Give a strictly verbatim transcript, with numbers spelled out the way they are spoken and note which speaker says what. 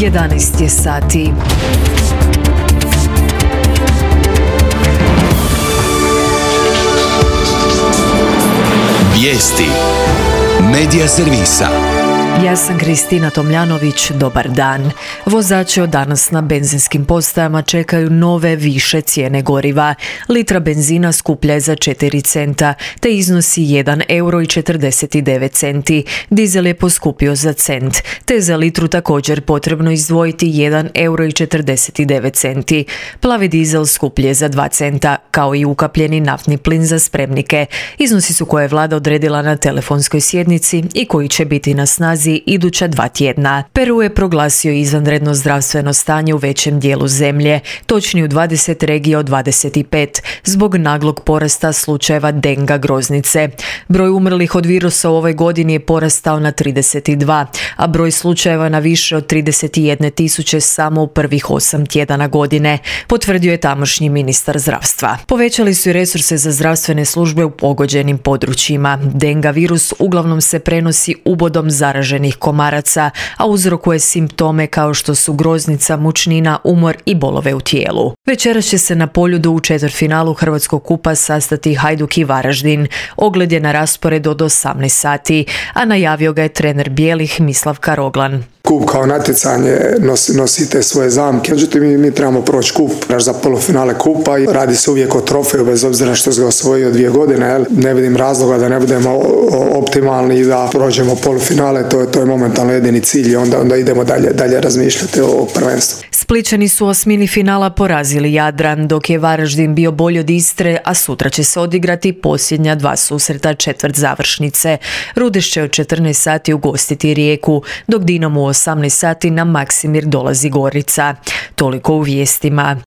Speaker 1: jedanaest je sati.
Speaker 2: Vijesti Medija servisa.
Speaker 1: Ja sam Kristina Tomljanović, dobar dan. Vozači od danas na benzinskim postajama čekaju nove više cijene goriva. Litra benzina skuplja je za četiri centa, te iznosi jedan euro i četrdeset devet centi. Dizel je poskupio za cent, te za litru također potrebno izdvojiti jedan euro i četrdeset devet centi. Plavi dizel skuplje za dva centa, kao i ukapljeni naftni plin za spremnike. Iznosi su koje je vlada odredila na telefonskoj sjednici i koji će biti na snazi iduća dva tjedna. Peru je proglasio izvanredno zdravstveno stanje u većem dijelu zemlje, točnije u dvadeset regija od dvadeset pet, zbog naglog porasta slučajeva denga groznice. Broj umrlih od virusa u ovoj godini je porastao na trideset dva, a broj slučajeva na više od trideset jedne tisuće samo u prvih osam tjedana godine, potvrdio je tamošnji ministar zdravstva. Povećali su i resurse za zdravstvene službe u pogođenim područjima. Denga virus uglavnom se prenosi ubodom zaraženih komaraca, a uzrokuje simptome kao što su groznica, mučnina, umor i bolove u tijelu. Večeras će se na Poljudu u četvrtfinalu Hrvatskog kupa sastati Hajduk i Varaždin. Ogled je na rasporedu od osamnaest sati, a najavio ga je trener bijelih Mislav Karoglan.
Speaker 3: Kup kao natjecanje nosi, nosi te svoje zamke, međutim mi, mi trebamo proći kup za polufinale kupa i radi se uvijek o trofeju bez obzira što se ga osvojio dvije godine. Jel? Ne vidim razloga da ne budemo optimalni i da prođemo polufinale, to je, to je momentalno jedini cilj i onda, onda idemo dalje, dalje razmišljati o prvenstvu.
Speaker 1: Splićani su u osmini finala porazili Jadran, dok je Varaždin bio bolji od Istre, a sutra će se odigrati posljednja dva susreta četvrt završnice. Rudeš će od četrnaest sati ugostiti Rijeku, dok Dinamo u osamnaest sati na Maksimir dolazi Gorica. Toliko u vijestima.